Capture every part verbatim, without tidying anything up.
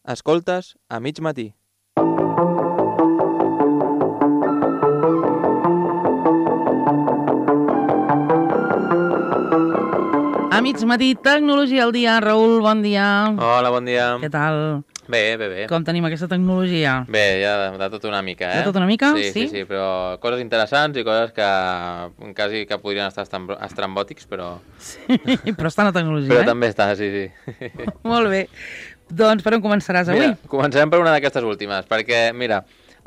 Escoltes a mig matí. A mig matí, tecnologia al dia. Raül, bon dia. Hola, bon dia. Què tal? Bé, bé, bé. Com tenim aquesta tecnologia? Bé, ja de, de tot una mica, eh? De tot una mica? Sí, sí, sí, sí, però coses interessants i coses que quasi que podrien estar estam- estrambòtics, però... Sí, però està en la tecnologia, Però eh? també està, sí, sí. Molt bé. Doncs per on començaràs avui? Mira, comencem per una d'aquestes últimes, perquè, mira,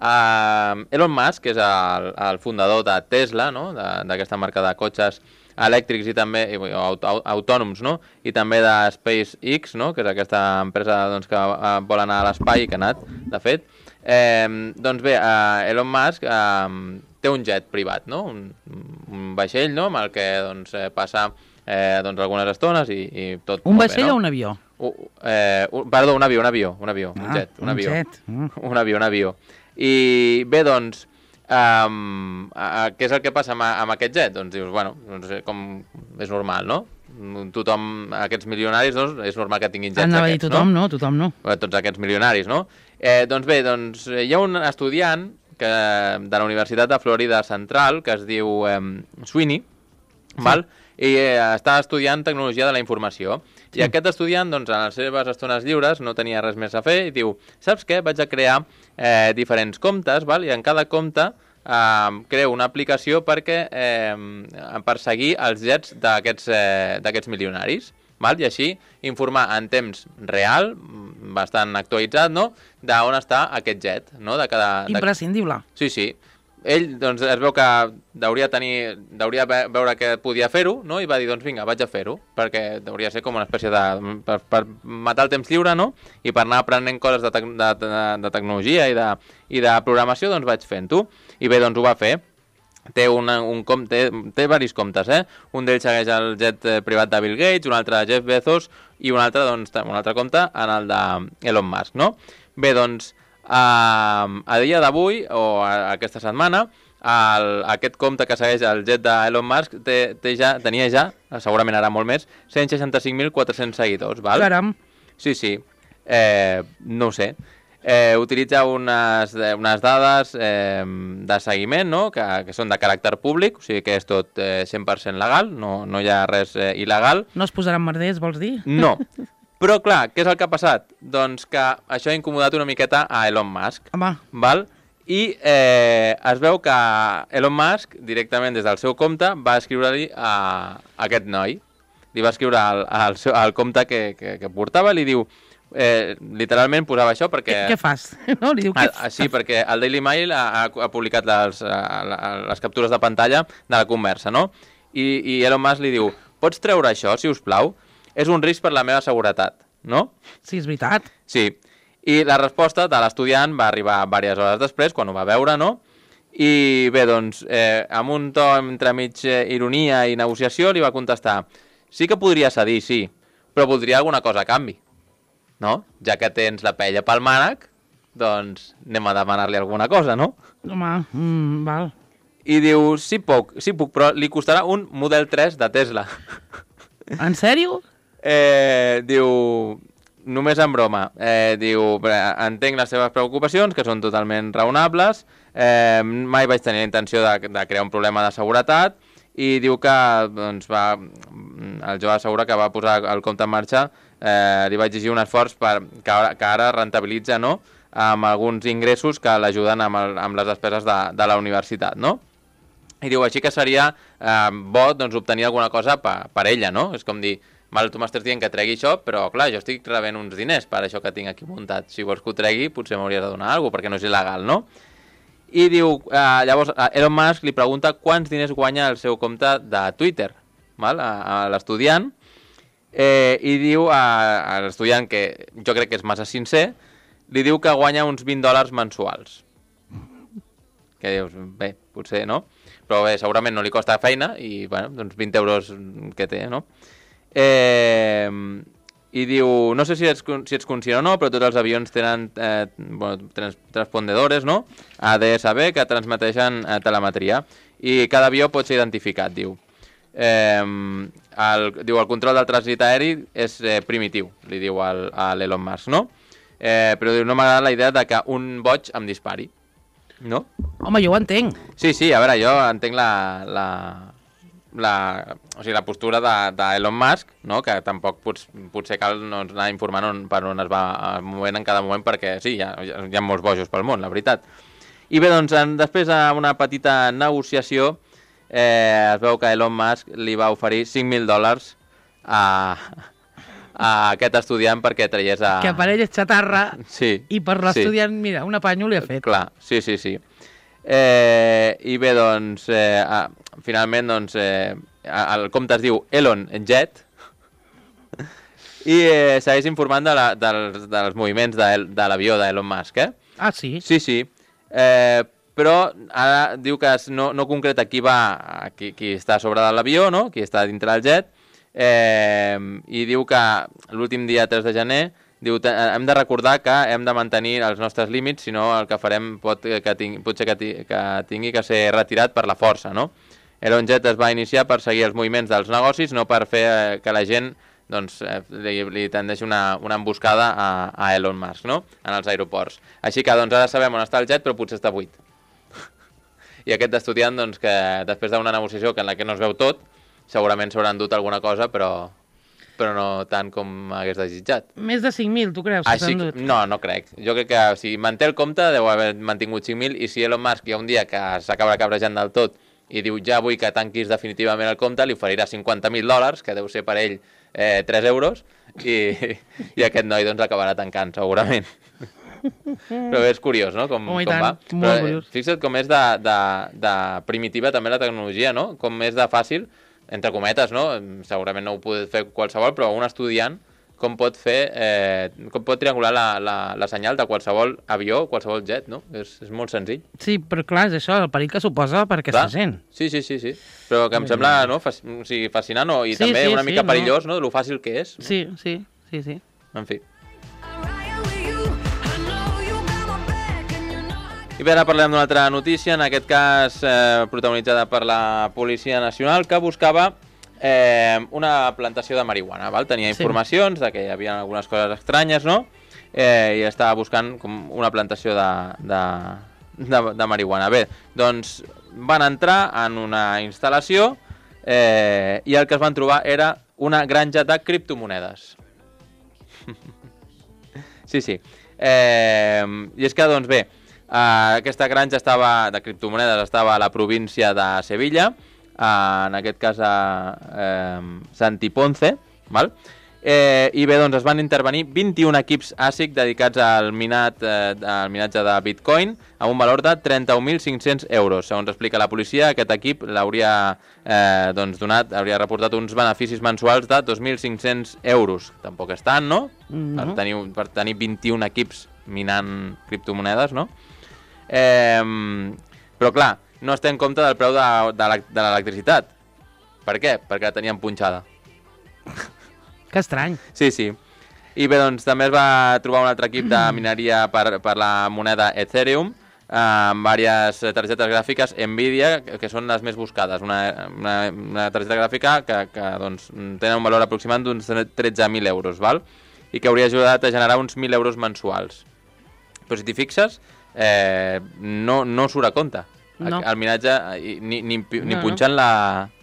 uh, Elon Musk, que és el, el fundador de Tesla, no?, de- d'aquesta marca de cotxes elèctrics i també i, aut aut autònoms, no?, i també de SpaceX, no?, que és aquesta empresa doncs, que uh, vol anar a l'espai i que ha anat, de fet. Eh, doncs bé, uh, Elon Musk uh, té un jet privat, no?, un, un vaixell, no?, amb el que doncs, eh, passa eh, doncs, algunes estones i, i tot Un molt vaixell bé, no? o un avió? Uh, eh, un, perdó, un avió, un avió, un avió, Ah, un jet, un, un avió. jet. Mm. Un avió, un avió. I bé, doncs, um, a, a, què és el que passa amb, amb aquest jet? Doncs dius, bueno, doncs, com és normal, no? Tothom, aquests milionaris, doncs, és normal que tinguin jets Anava a dir aquests, tothom, no? no? Tothom no. Bé, tots aquests milionaris, no? Eh, doncs bé, doncs, hi ha un estudiant que, de la Universitat de Florida Central que es diu eh, Sweeney, sí. val? I eh, està estudiant tecnologia de la informació. Sí. I aquest estudiant, doncs, en les seves estones lliures no tenia res més a fer i diu, saps què? Vaig a crear eh, diferents comptes, val? I en cada compte eh, creo una aplicació perquè eh, per seguir els jets d'aquests eh, d'aquests milionaris. Val? I així informar en temps real, bastant actualitzat, no?, d'on està aquest jet, no?, de cada... Imprescindible. De... Sí, sí. Ell, doncs, es veu que hauria tenir, hauria veure que podia fer-ho, no?, i va dir, doncs vinga, vaig a fer-ho, perquè hauria de ser com una espècie de... per, per matar el temps lliure, no?, i per anar aprenent coses de, tec de, de, de tecnologia i de, i de programació, doncs vaig fent-ho. I bé, doncs ho va fer. Té, una, un com, té, té diversos comptes, eh? Un d'ells segueix el jet privat de Bill Gates, un altre de Jeff Bezos i un altre, doncs, un altre compte en el de Elon Musk, no? Bé, doncs, a, a dia d'avui, o a, aquesta setmana, el, aquest compte que segueix el jet d'Elon Musk té, té ja, tenia ja, segurament ara molt més, cent seixanta-cinc mil quatre-cents seguidors, val? Caram. Sí, sí. Eh, no ho sé. Eh, utilitza unes, unes dades eh, de seguiment, no?, que, que són de caràcter públic, o sigui que és tot eh, cent per cent legal, no, no hi ha res eh, il·legal. No es posaran merders, vols dir? No. Però clar, què és el que ha passat? Doncs que això ha incomodat una miqueta a Elon Musk. Home. Val? I eh, es veu que Elon Musk, directament des del seu compte, va escriure-li a, a aquest noi. Li va escriure al, al, seu, al compte que, que, que portava, li diu... Eh, literalment posava això perquè... Què, què fas? No? Li diu, què ah, sí, perquè el Daily Mail ha, ha publicat les, les captures de pantalla de la conversa, no? I, i Elon Musk li diu, pots treure això, si us plau? És un risc per la meva seguretat, no? Sí, és veritat. Sí. I la resposta de l'estudiant va arribar diverses hores després, quan ho va veure, no? I bé, doncs, eh, amb un to entremig ironia i negociació li va contestar, sí que podria cedir, sí, però voldria alguna cosa a canvi. No? Ja que tens la pella pel mànec, doncs anem a demanar-li alguna cosa, no? Home, mm, val. I diu, sí puc, sí puc, però li costarà un Model tres de Tesla. En sèrio? Eh, diu, només en broma, eh, diu, entenc les seves preocupacions, que són totalment raonables, eh, mai vaig tenir la intenció de, de crear un problema de seguretat, i diu que doncs, va, el jove assegura que va posar el compte en marxa, eh, li va exigir un esforç per, que, ara, que ara rentabilitza, no?, amb alguns ingressos que l'ajuden amb, el, amb les despeses de, de la universitat, no? I diu, així que seria eh, bo doncs, obtenir alguna cosa per, per ella, no? És com dir, val, tu m'estàs dient que tregui això, però clar, jo estic rebent uns diners per això que tinc aquí muntat. Si vols que ho tregui, potser m'hauries de donar alguna cosa, perquè no és il·legal, no? I diu, eh, llavors, Elon Musk li pregunta quants diners guanya el seu compte de Twitter, val? A, a l'estudiant, eh, i diu a, a l'estudiant, que jo crec que és massa sincer, li diu que guanya uns vint dòlars mensuals. Que dius, bé, potser no, però bé, segurament no li costa feina i, bueno, doncs vint euros que té, no? Eh... I diu, no sé si ets, si ets conscient o no, però tots els avions tenen eh, bueno, trans, transpondedores, no?, A D S B, que transmeteixen eh, telemetria, i cada avió pot ser identificat, diu. Eh, el, diu, el control del trànsit aeri és eh, primitiu, li diu al, a l'Elon Musk, no? Eh, però diu, no m'agrada la idea de que un boig em dispari. No? Home, jo ho entenc. Sí, sí, a veure, jo entenc la... la... La, o sigui, la postura d'Elon Musk, no? Que tampoc pots, potser cal no, anar informant on, per on es va movent en cada moment, perquè sí, hi ha, hi ha molts bojos pel món, la veritat. I bé, doncs, en, després d'una petita negociació, eh, es veu que Elon Musk li va oferir cinc mil dòlars a, a aquest estudiant perquè traiés a... Que per ell és xatarra, sí, i per l'estudiant, sí. Mira, una panyo li ha fet. Clar, sí, sí, sí. Eh, I bé, doncs, eh, ah, finalment, doncs, eh, el compte es diu Elon Jet i eh, segueix informant de la, dels, dels moviments de, de l'avió d'Elon Musk, eh? Ah, sí? Sí, sí. Eh, però ara diu que no, no concreta qui va, qui, qui està a sobre de l'avió, no? Qui està dintre del jet, eh, i diu que l'últim dia tres de gener diu, hem de recordar que hem de mantenir els nostres límits, si no el que farem pot, que ting, potser que, tingui, que tingui que ser retirat per la força, no? Elon Jet es va iniciar per seguir els moviments dels negocis, no per fer eh, que la gent doncs, eh, li, li tendeixi una, una emboscada a, a Elon Musk, no? En els aeroports. Així que doncs, ara sabem on està el jet, però potser està buit. I aquest estudiant, doncs, que després d'una negociació en la que no es veu tot, segurament s'haurà endut alguna cosa, però... però no tant com hagués desitjat. Més de cinc mil, tu creus? Així, no, no crec. Jo crec que si manté el compte deu haver mantingut cinc mil i si Elon Musk hi ha un dia que s'acaba cabrejant del tot i diu ja vull que tanquis definitivament el compte, li oferirà cinquanta mil dòlars, que deu ser per ell eh, tres euros, i, i aquest noi doncs l'acabarà tancant, segurament. Però és curiós, no? Com, oh, com tant, va. Però, eh, fixa't com és de, de, de primitiva també la tecnologia, no? Com és de fàcil, entre cometes, no? Segurament no ho pot fer qualsevol, però un estudiant com pot fer, eh, com pot triangular la, la, la senyal de qualsevol avió, qualsevol jet, no? És, és molt senzill. Sí, però clar, és això, el perill que suposa per aquesta gent. Sí, sí, sí, sí. Però que em sí. sembla, no? Fac, o sigui, fascinant, no? I sí, també sí, una mica sí, perillós, no? no? De lo fàcil que és. Sí, sí, sí, sí. En fi. I bé, ara parlem d'una altra notícia, en aquest cas eh, protagonitzada per la Policia Nacional, que buscava eh, una plantació de marihuana. Val? Tenia informacions sí. de que hi havia algunes coses estranyes, no? Eh, I estava buscant com una plantació de, de, de, de marihuana. Bé, doncs van entrar en una instal·lació eh, i el que es van trobar era una granja de criptomonedes. Sí, sí. Eh, I és que, doncs bé, Uh, aquesta granja estava de criptomonedes estava a la província de Sevilla, uh, en aquest cas a uh, Santiponce, val? Eh, i bé, doncs es van intervenir vint-i-un equips A S I C dedicats al, minat, eh, al minatge de Bitcoin amb un valor de trenta-un mil cinc-cents euros. Segons explica la policia, aquest equip l'hauria eh, doncs donat, hauria reportat uns beneficis mensuals de dos mil cinc-cents euros. Tampoc és tant, no? Mm-hmm. Per tenir, per tenir vint-i-un equips minant criptomonedes, no? Eh, però clar, no es té en compte del preu de, de l'electricitat. Per què? Perquè la tenien punxada. Que estrany. Sí, sí. I bé, doncs també es va trobar un altre equip de mineria per, per la moneda Ethereum, eh, amb diverses targetes gràfiques Nvidia, que són les més buscades. Una, una, una targeta gràfica que, que doncs, tenen un valor aproximat d'uns tretze mil euros, val? I que hauria ajudat a generar uns mil euros mensuals. Però si t'hi fixes, eh, no, no surt a compte. No. El minatge, ni, ni, ni no, punxant no. La,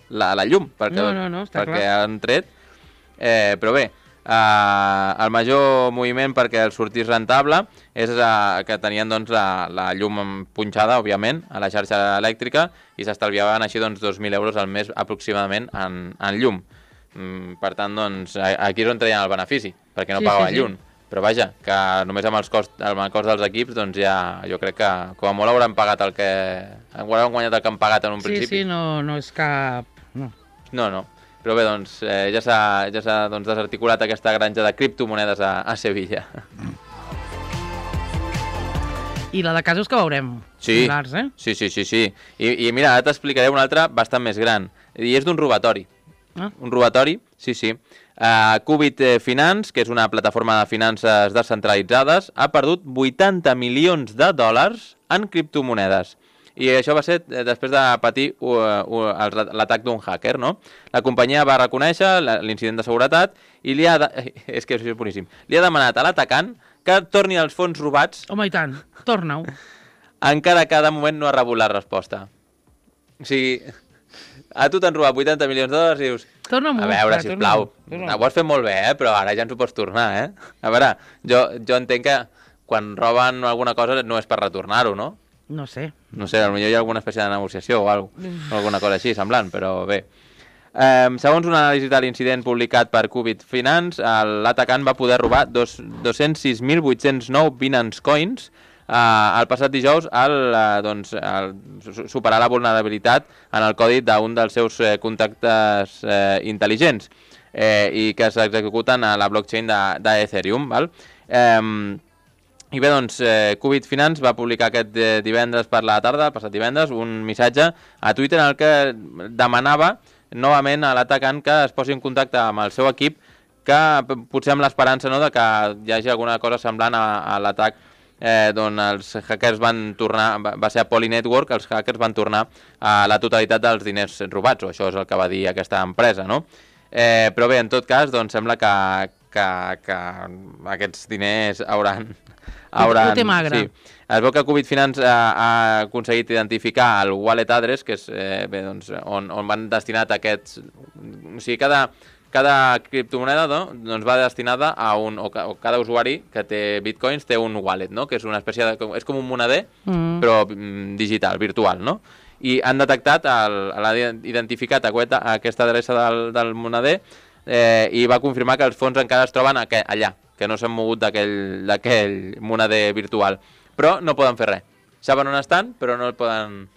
la, la llum, perquè, no, no, no, està perquè clar. han tret. Eh, però bé, eh, el major moviment perquè el sortís rentable és eh, que tenien doncs, la, la llum punxada, òbviament, a la xarxa elèctrica i s'estalviaven així doncs, dos mil euros al mes aproximadament en, en llum. Mm, per tant, doncs, aquí és on treien el benefici, perquè no sí, pagaven sí, sí. llum. Però vaja, que només amb, els cost, amb el cost dels equips, doncs ja jo crec que com a molt hauran pagat el que... hauran guanyat el que han pagat en un sí, principi. Sí, sí, no, no és cap... No, no. no. Però bé, doncs, eh, ja s'ha ja s'ha doncs, desarticulat aquesta granja de criptomonedes a, a Sevilla. I la de casos que veurem. Sí, similars, eh? sí, sí, sí, sí. I, i mira, ara t'explicaré una altra bastant més gran. I és d'un robatori. Ah. Un robatori, sí, sí. Uh, Qubit Finance, que és una plataforma de finances descentralitzades, ha perdut vuitanta milions de dòlars en criptomonedes. I això va ser després de patir uh, uh, l'atac d'un hacker, no? La companyia va reconèixer l'incident de seguretat i li ha, de... és que és boníssim. li ha demanat a l'atacant que torni els fons robats. Home, i tant, torna-ho. Encara que de moment no ha rebut la resposta. O sigui, a tu t'han robat vuitanta milions de dòlars i dius... Torna-m'ho. A veure, sisplau, ho has fet molt bé, eh? Però ara ja ens ho pots tornar, eh? A veure, jo, jo entenc que quan roben alguna cosa no és per retornar-ho, no? No sé. No sé, potser hi ha alguna espècie de negociació o, alguna, o alguna cosa així, semblant, però bé. Eh, segons una anàlisi de l'incident publicat per Qubit Finance, l'atacant va poder robar dos-cents sis mil vuit-cents nou Binance Coins Uh, el passat dijous al uh, doncs, al superar la vulnerabilitat en el codi d'un dels seus uh, contactes uh, intel·ligents eh, i que s'executen a la blockchain d'Ethereum. Val? Um, I bé, doncs, eh, Qubit Finance va publicar aquest eh, divendres per la tarda, el passat divendres, un missatge a Twitter en el que demanava novament a l'atacant que es posi en contacte amb el seu equip, que potser amb l'esperança, no?, de que hi hagi alguna cosa semblant a, a l'atac Eh, d'on els hackers van tornar, va ser a Poly Network, els hackers van tornar a la totalitat dels diners robats, o això és el que va dir aquesta empresa, no? Eh, però bé, en tot cas, doncs sembla que, que, que aquests diners hauran... hauran ho té magre. Sí. Es veu que Qubit Finance ha, ha aconseguit identificar el wallet address, que és eh, bé, doncs, on, on van destinat aquests... O sigui, cada... Cada criptomoneda, no, doncs va destinada a un... O, o cada usuari que té bitcoins té un wallet, no? Que és una espècie de... És com un moneder, mm. però mm, digital, virtual, no? I han detectat, l'han identificat aquesta, aquesta adreça del, del moneder eh, i va confirmar que els fons encara es troben aqu allà, que no s'han mogut d'aquell moneder virtual. Però no poden fer res. Saben on estan, però no poden,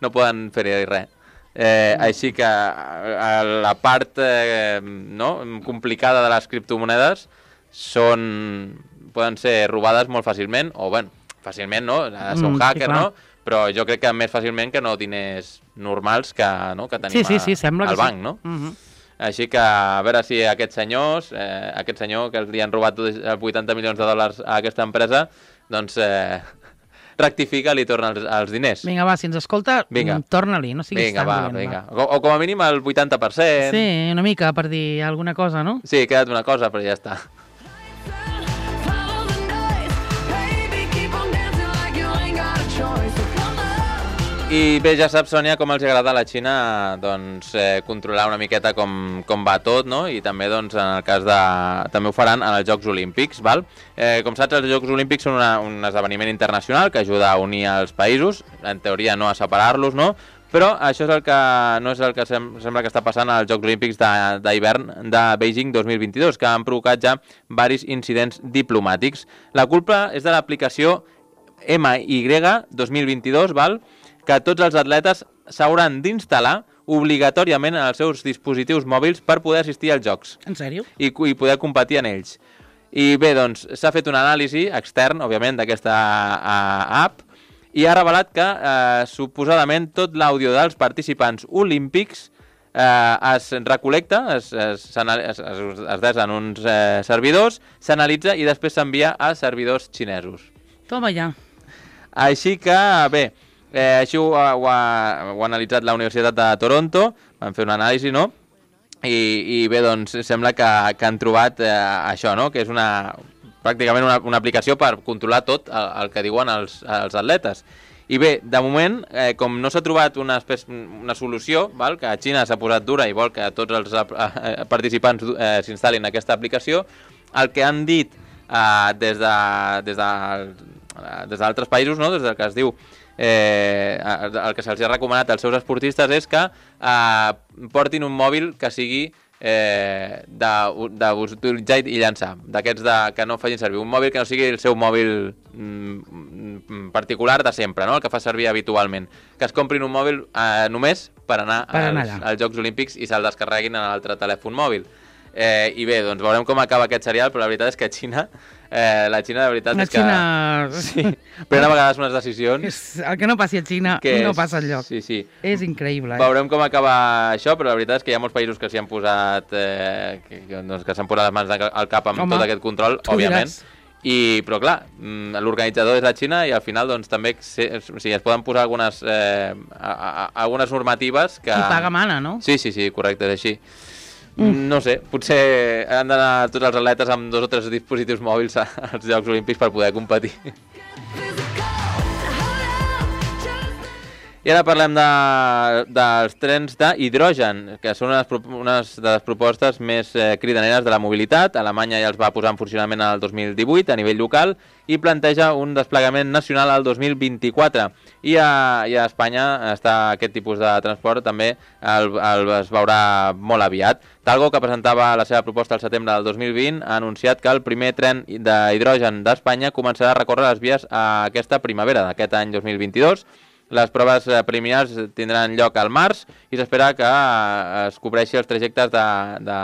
no poden fer-hi res. Eh, així que la part eh, no, complicada de les criptomonedes són, poden ser robades molt fàcilment, o bueno, fàcilment no, ha de ser un hacker, mm, sí, no? Però jo crec que més fàcilment que no diners normals que, no, que tenim sí, sí, sí, a, al banc, sí. no? Mm -hmm. Així que a veure si aquests senyors, eh, aquest senyor que li han robat vuitanta milions de dòlars a aquesta empresa, doncs... Eh, rectifica, li torna els, els diners. Vinga, va, si ens escolta, torna-li, no siguis vinga, tan va, dolent. Vinga, va. O, o com a mínim el vuitanta per cent. Sí, una mica, per dir alguna cosa, no? Sí, queda't una cosa, però ja està. I bé, ja saps, Sònia, com els agrada a la Xina doncs, eh, controlar una miqueta com, com va tot, no? I també, doncs, en el cas de... també ho faran en els Jocs Olímpics, val? Eh, com saps, els Jocs Olímpics són una, un esdeveniment internacional que ajuda a unir els països, en teoria no a separar-los, no? Però això és el que no és el que sem sembla que està passant als Jocs Olímpics d'hivern de, de Beijing dos mil vint-i-dos, que han provocat ja diversos incidents diplomàtics. La culpa és de l'aplicació M Y dos mil vint-i-dos, val? Que tots els atletes s'hauran d'instal·lar obligatòriament en els seus dispositius mòbils per poder assistir als jocs. En sèrio? I, i poder competir en ells. I bé, doncs, s'ha fet un anàlisi extern, òbviament, d'aquesta uh, app, i ha revelat que, eh, suposadament, tot l'àudio dels participants olímpics eh, es recol·lecta, es, es, es, es, es des en uns eh, servidors, s'analitza i després s'envia a servidors xinesos. Toma ja. Així que, bé, eh, així ho ha, ho, ha, ho ha analitzat la Universitat de Toronto, van fer un anàlisi, no? I, i bé, doncs, sembla que, que han trobat eh, això, no? Que és una... pràcticament una, una aplicació per controlar tot el, el que diuen els, els atletes. I bé, de moment, eh, com no s'ha trobat una, espècie, una solució, val, que a Xina s'ha posat dura i vol que tots els eh, participants eh, s'instal·lin aquesta aplicació, el que han dit eh, des de, des de, des d'altres països, no? Des del que es diu, eh, el que se'ls ha recomanat als seus esportistes és que eh, portin un mòbil que sigui Eh, d'utilitzar i llançar, d'aquests que no facin servir un mòbil que no sigui el seu mòbil mm, particular de sempre, no? El que fa servir habitualment, que es comprin un mòbil eh, només per anar, per anar als, als Jocs Olímpics i se'l descarreguin en l'altre telèfon mòbil. Eh, I bé, doncs veurem com acaba aquest serial, però la veritat és que a Xina, eh, la Xina, la veritat la és que... Xina... Sí, prenen a vegades unes decisions... És el que no passi a Xina que no és... passa enlloc. Sí, sí. És increïble. Eh? Veurem com acaba això, però la veritat és que hi ha molts països que s'hi han posat... Eh, que doncs, que s'han posat les mans al cap amb Home, tot aquest control, òbviament. I, però clar, l'organitzador és la Xina i al final doncs, també se, o sigui, es poden posar algunes, eh, a, a, algunes normatives que... Qui paga mana, no? Sí, sí, sí, correcte, és així. Mm. No sé, potser han d'anar tots els atletes amb dos o tres dispositius mòbils als Jocs Olímpics per poder competir. I ara parlem de, dels trens d'hidrogen, que són unes, unes de les propostes més eh, cridaneres de la mobilitat. Alemanya ja els va posar en funcionament el dos mil divuit a nivell local i planteja un desplegament nacional al dos mil vint-i-quatre. I a, i a Espanya està aquest tipus de transport també el, el, es veurà molt aviat. Talgo, que presentava la seva proposta al setembre del dos mil vint, ha anunciat que el primer tren d'hidrogen d'Espanya començarà a recórrer les vies a aquesta primavera d'aquest any dos mil vint-i-dos. Les proves preliminars tindran lloc al març i s'espera que es cobreixi els trajectes de, de,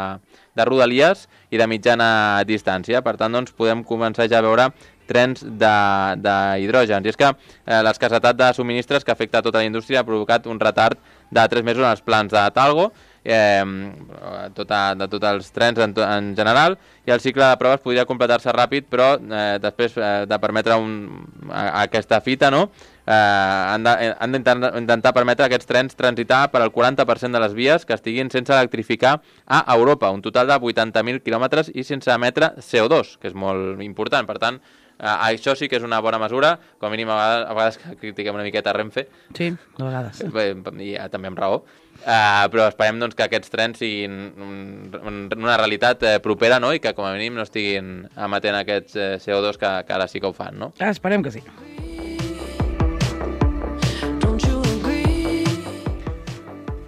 de rodalies i de mitjana distància. Per tant, doncs, podem començar ja a veure trens d'hidrogen. I és que eh, l'escassetat de subministres que afecta a tota la indústria ha provocat un retard de tres mesos en els plans de Talgo, eh, tota, de tots els trens en, en general, i el cicle de proves podria completar-se ràpid, però eh, després eh, de permetre un, a, a aquesta fita, no?, Eh, han d'intentar permetre aquests trens transitar per al quaranta per cent de les vies que estiguin sense electrificar a Europa, un total de vuitanta mil quilòmetres i sense emetre C O dos, que és molt important. Per tant, eh, això sí que és una bona mesura, com a mínim a vegades, a vegades critiquem una miqueta Renfe. Sí, de vegades. I ja, també amb raó. Uh, però esperem doncs, que aquests trens siguin un, una realitat eh, propera, no?, i que com a mínim no estiguin emetent aquests eh, C O dos que, que ara sí que ho fan, no? Ah, esperem que sí.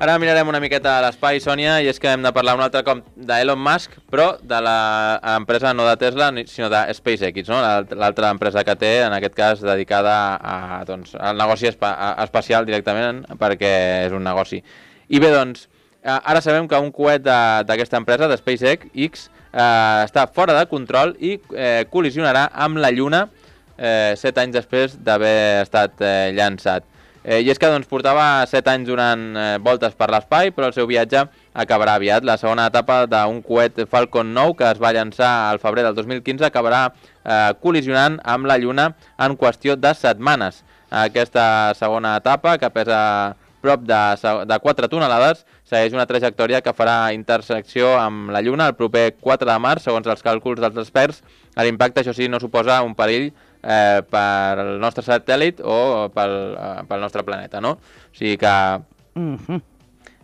Ara mirarem una miqueta a l'espai, Sònia, i és que hem de parlar un altre cop d'Elon Musk, però de l'empresa no de Tesla, sinó de SpaceX, no?, l'altra empresa que té, en aquest cas dedicada a, doncs, al negoci espa espacial directament, perquè és un negoci. I bé, doncs, ara sabem que un coet d'aquesta empresa, de SpaceX, eh, està fora de control i eh, col·lisionarà amb la Lluna eh, set anys després d'haver estat eh, llançat. Eh, I és que doncs, portava set anys donant eh, voltes per l'espai, però el seu viatge acabarà aviat. La segona etapa d'un coet Falcon nou, que es va llançar al febrer del dos mil quinze, acabarà eh, col·lisionant amb la Lluna en qüestió de setmanes. Aquesta segona etapa, que pesa prop de, de quatre tonelades, segueix una trajectòria que farà intersecció amb la Lluna el proper quatre de març, segons els càlculs dels experts. L'impacte, això sí, no suposa un perill Eh, per el nostre satèl·lit o pel, eh, pel nostre planeta, no? O sigui que, mm-hmm.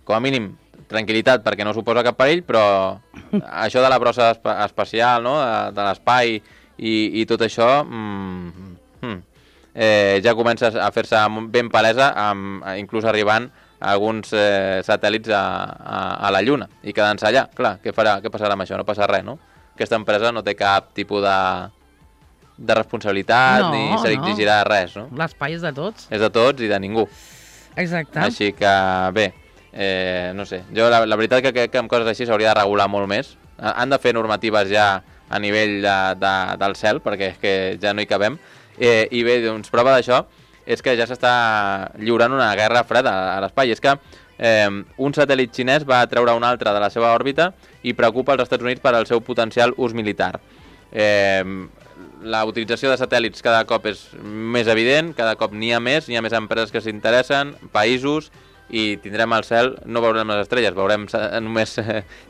com a mínim, tranquil·litat perquè no suposa cap perill, però això de la brossa espa espacial, no?, de, de l'espai i, i tot això, mm, mm, eh, ja comença a fer-se ben palesa, amb, inclús arribant a alguns eh, satèl·lits a, a, a la Lluna i quedant-se allà. Clar, què farà, què passarà amb això? No passa res, no? Aquesta empresa no té cap tipus de... de responsabilitat, no, ni se li exigirà no. res, no? L'espai és de tots. És de tots i de ningú. Exacte. Així que, bé, eh, no sé, jo la, la veritat que crec que amb coses així s'hauria de regular molt més. Han de fer normatives ja a nivell de, de, del cel, perquè és que ja no hi cabem. Eh, I bé, doncs, prova d'això és que ja s'està lliurant una guerra freda a l'espai. És que eh, un satèl·lit xinès va treure un altre de la seva òrbita i preocupa els Estats Units per al seu potencial ús militar. Eh, la utilització de satèl·lits cada cop és més evident, cada cop n'hi ha més, n'hi ha més empreses que s'interessen, països, i tindrem al cel, no veurem les estrelles, veurem només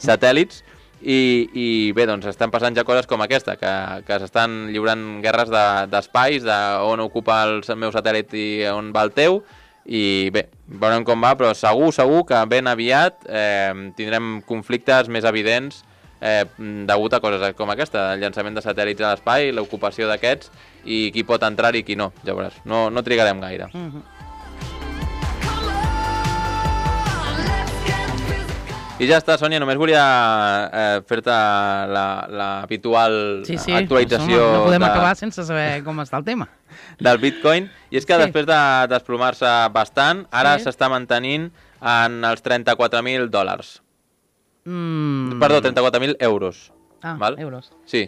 satèl·lits, i, i bé, doncs estan passant ja coses com aquesta, que, que s'estan lliurant guerres d'espais, de, on ocupa el meu satèl·lit i on va el teu, i bé, veurem com va, però segur, segur que ben aviat eh, tindrem conflictes més evidents Eh, degut a coses com aquesta, el llançament de satèl·lits a l'espai, l'ocupació d'aquests i qui pot entrar i qui no, ja veuràs, no, no trigarem gaire. Mm-hmm. I ja està, Sònia, només volia eh, fer-te l'habitual la, sí, sí, actualització. No, no podem de, acabar sense saber com està el tema. Del Bitcoin, i és que sí. després de desplomar-se bastant, ara s'està sí. mantenint en els trenta-quatre mil dòlars. Mm. Perdó, trenta-quatre mil euros. Ah, val? Euros. Sí.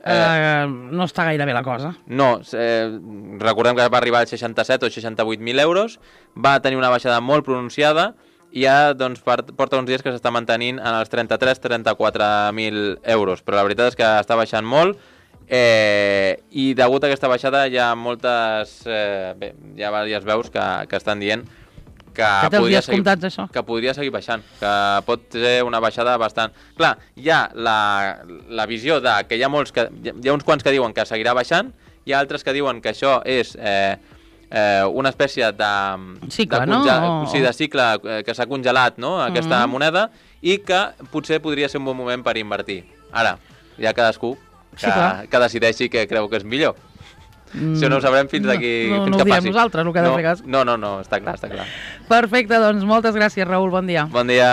Eh, uh, no està gaire bé la cosa. No, eh, recordem que va arribar als seixanta-set o seixanta-vuit mil euros, va tenir una baixada molt pronunciada i ja doncs, porta uns dies que s'està mantenint en els trenta-tres a trenta-quatre mil euros, però la veritat és que està baixant molt eh, i degut a aquesta baixada hi ha moltes, eh, bé, hi ha diverses veus que, que estan dient que, Que té els podria dies seguir, comptats, això. que podria seguir baixant, que pot ser una baixada bastant... Clar, hi ha la, la visió de que hi ha molts que, hi ha uns quants que diuen que seguirà baixant, hi ha altres que diuen que això és eh, eh, una espècie de... Cicle, de no? O... Sí, de cicle eh, que s'ha congelat, no?, aquesta Uh-huh. moneda, i que potser podria ser un bon moment per invertir. Ara, hi ha cadascú que, Sí, clar. que decideixi què creu que és millor. Mm, això no ho sabrem fins d'aquí, no, no, fins no que ho diem passi. nosaltres, el que ha de no, fer cas. No, no, no, està clar, està clar. Perfecte, doncs moltes gràcies, Raül, bon dia. Bon dia.